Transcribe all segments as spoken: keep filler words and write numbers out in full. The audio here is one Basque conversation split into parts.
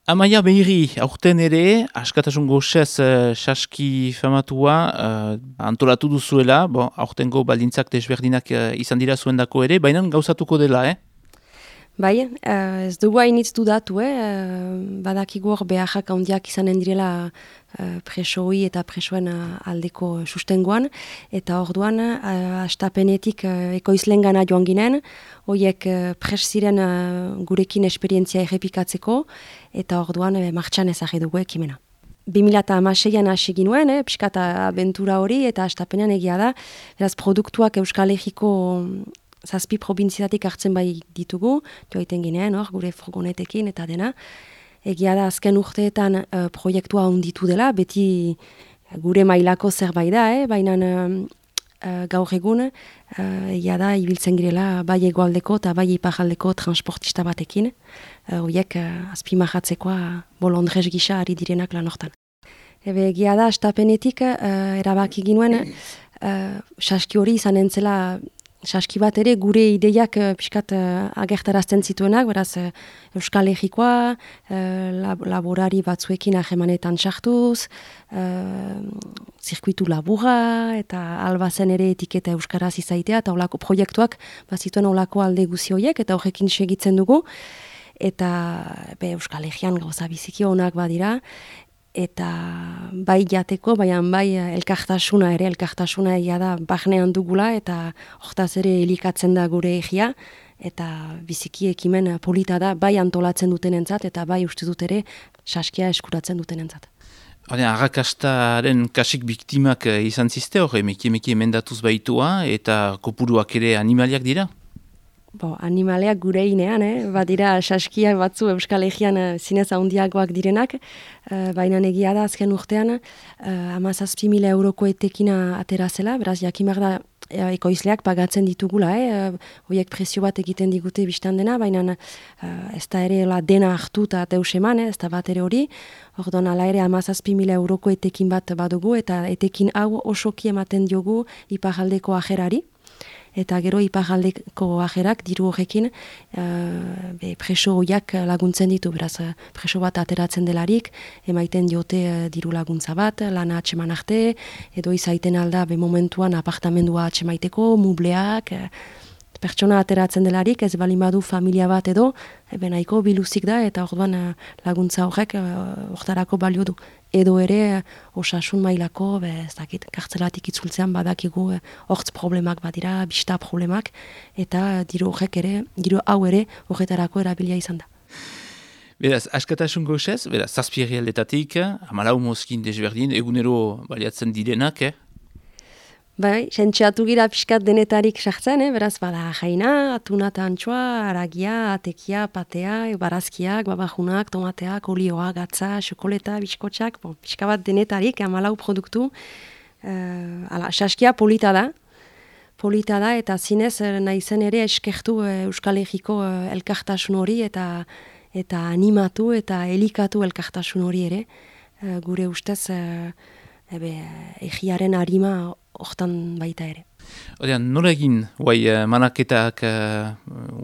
Amaia Behiri, aurten ere, askatasun goxez uh, saski famatua uh, antolatu duzuela, bon, aurtengo baldintzak desberdinak uh, izan dira zuendako ere, baina gauzatuko dela, eh? Bai, uh, ez dugu hainitz dudatu, eh? uh, badakigu hor beharrak handiak izanen direla uh, presoi eta presoen uh, aldeko sustengoan, eta orduan uh, astapenetik uh, ekoizlengana joan ginen, horiek uh, pres ziren uh, gurekin esperientzia errepikatzeko, eta orduan uh, martxan ezagri dugu ekimena. bi mila hamaseian hasi ginuen, eh, pixkat abentura hori, eta astapenean egia da, beraz produktuak Euskal Herriko zazpi probintziatik hartzen bai ditugu, joaiten ginean, hor, gure furgonetekin eta dena. Egia da, azken urteetan uh, proiektua onditu dela, beti gure mailako zerbait da, eh? Baina uh, gaur egun, uh, egia da, ibiltzen girela bai egoaldeko eta bai iparaldeko transportista batekin, horiek uh, uh, azpimarratzekoa bolondrez gisa ari direnak lan hortan. Ebe, egia da, astapenetik uh, erabaki ginuen, uh, saski hori izan entzela, saski bat ere gure ideiak uh, pixkat uh, agertarazten zituenak, beraz uh, Euskal Herrikoa, uh, lab laborari batzuekin ahemanetan sartuz, uh, zirkuitu labura, eta albazen ere etiketa Euskaraz izaitea, eta olako proiektuak bazituen olako alde guzi horiek, eta horrekin segitzen dugu, eta be, Euskal Herrian gauza biziki honak badira, eta bai jateko, baina bai elkartasuna ere, elkartasuna egia da barnean dugula, eta hortaz ere elikatzen da gure egia, eta biziki ekimen polita da, bai antolatzen dutenentzat, eta bai uste dut ere saskia eskuratzen dutenentzat. Hora, arrakastaren kasik biktimak izan ziste hor, emeki-emeki emendatuz baitua, eta kopuruak ere animaliak dira? Bo, animaleak gure inean, eh? Badira saskiak batzu Euskal Herrian uh, zinez handiagoak direnak, uh, baina egia da azken urtean uh, hamazazpi mila euroko etekina atera zela, beraz jakimak da uh, ekoizleak pagatzen ditugula, eh? uh, horiek prezio bat egiten digute biztan dena, baina uh, ez da ere la dena hartu eta deus eman, eh? Ez da bat ere hori, orduan ala ere hamazazpi mila euroko etekin bat badugu, eta etekin hau osoki ematen diogu iparaldeko ajerari. Eta gero iparaldeko ajerak diru horrekin uh, be, preso horiak laguntzen ditu, beraz preso bat ateratzen delarik, emaiten diote uh, diru laguntza bat, lana atseman arte, edo izaiten alda be momentuan apartamendua atsemaiteko, mubleak, uh, pertsona ateratzen delarik, ez balin badu familia bat edo, ebe nahiko biluzik da, eta orduan uh, laguntza horrek hortarako uh, balio du. Edo ere uh, osasun mailako, be, ez dakit, kartzelatik itzultzean badakigu hortz uh, problemak badira, bista problemak, eta diru horrek ere, diru hau ere horretarako erabilia izan da. Beraz, askatasun goxez, beraz, zazpi herrialdetatik, hamalau mozkin desberdin, egunero baliatzen direnak, eh? Bai, sentxeatu gira pixkat denetarik sartzen, eh? Beraz, bada jaina, atuna eta antxoa, aragia, atekia, patea, barazkiak, babajunak, tomateak, olioa, gatza, xokoleta, biskotxak, bon, pixka bat denetarik, hamalau produktu. Uh, ala, saskia polita da, polita da, eta zinez nahi zen ere eskertu uh, Euskal Herriko uh, elkartasun hori, eta eta animatu eta elikatu elkartasun hori ere, uh, gure ustez uh, ebe, egiaren harima hortan baita ere. Odean, nola egin, guai, uh, manaketak uh,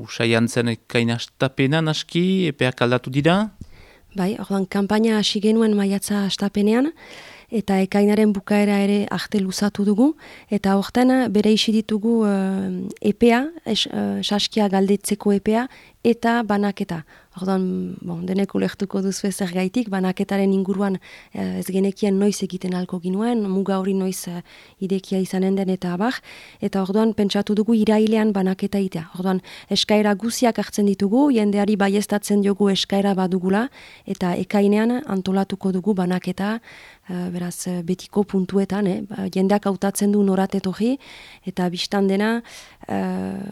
usaian zen kainastapena naski, epeak aldatu dira? Bai, ordan, kanpaina hasi genuen maiatza astapenean, eta ekainaren bukaera ere arte luzatu dugu, eta hortan bere isi ditugu uh, epea, es, uh, saskia galdetzeko epea, eta banaketa. Ordan, bon, denek ulertuko duzu ezer gaitik, banaketaren inguruan eh, ez genekien noiz egiten alko ginuen, muga hori noiz eh, idekia izanen den eta abar, eta orduan pentsatu dugu irailean banaketa itea. Orduan, eskaera guziak hartzen ditugu, jendeari baiestatzen diogu eskaera badugula, eta ekainean antolatuko dugu banaketa, eh, beraz, betiko puntuetan, eh, jendeak hautatzen du noratetorri, eta biztan dena, eh,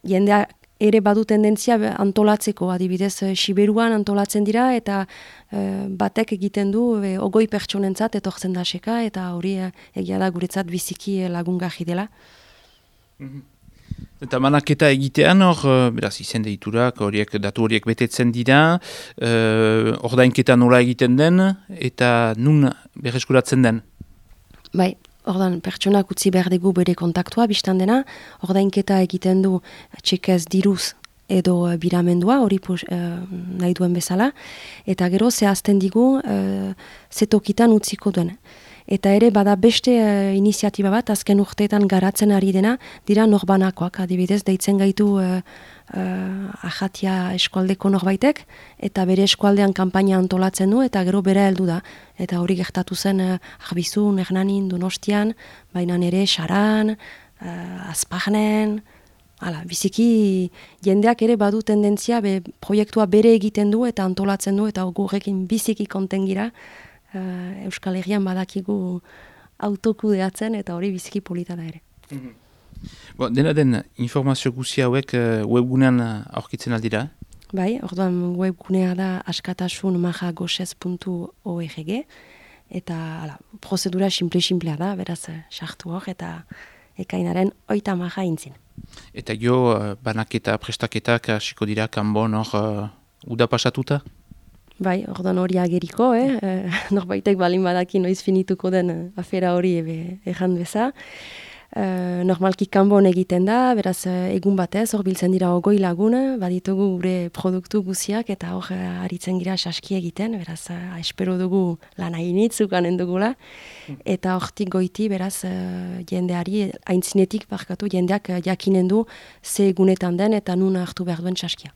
jendeak ere badu tendentzia antolatzeko, adibidez, Siberuan antolatzen dira, eta e, batek egiten du e, ogoi pertsonentzat etortzen da seka, eta hori e, egia da guretzat biziki lagungarri dela. Mm-hmm. Eta manaketa egitean hor, beraz, izen deiturak, horiek, datu horiek betetzen dira, e, ordainketa nola egiten den, eta nun berreskuratzen den? Bai. Ordan, pertsonak utzi behar dugu bere kontaktua, biztan dena, ordainketa egiten du txekez diruz edo uh, biramendua, hori pus, uh, nahi duen bezala, eta gero zehazten digu uh, zetokitan utziko duen. Eta ere bada beste uh, iniziatiba bat, azken urteetan garatzen ari dena, dira norbanakoak, adibidez, deitzen gaitu uh, uh, ahatia eskualdeko norbaitek, eta bere eskualdean kanpaina antolatzen du, eta gero bera heldu da. Eta hori gertatu zen uh, Arbizun, Hernanin, Donostian, baina ere Saran, uh, Azpagnen, hala, biziki jendeak ere badu tendentzia, be, proiektua bere egiten du eta antolatzen du, eta gurekin biziki konten gira, Uh, Euskal Herrian badakigu autokudeatzen eta hori biziki polita da ere. Mm-hmm. Bo, dena den informazio guzi hauek uh, webgunean aurkitzen aldira? Bai, orduan webgunea da askatasun maja gosez puntu org eta ala, prozedura simple-simplea da, beraz sartu hor eta ekainaren oita maja intzin. Eta jo, uh, banaketa, prestaketak hasiko dira kanbon hor uh, uda pasatuta? Bai, orduan hori ageriko, eh? eh norbaitek balin badaki noiz finituko den eh, afera hori ebe ejan beza. Eh, normalki kanbon egiten da, beraz eh, egun batez, hor biltzen dira ogoi laguna, baditugu gure produktu guziak eta hor eh, aritzen gira saski egiten, beraz eh, espero dugu lana initzukanen dugula. Eta hortik goiti, beraz eh, jendeari, aintzinetik barkatu, jendeak eh, jakinen du ze egunetan den eta nun hartu behar duen saskia.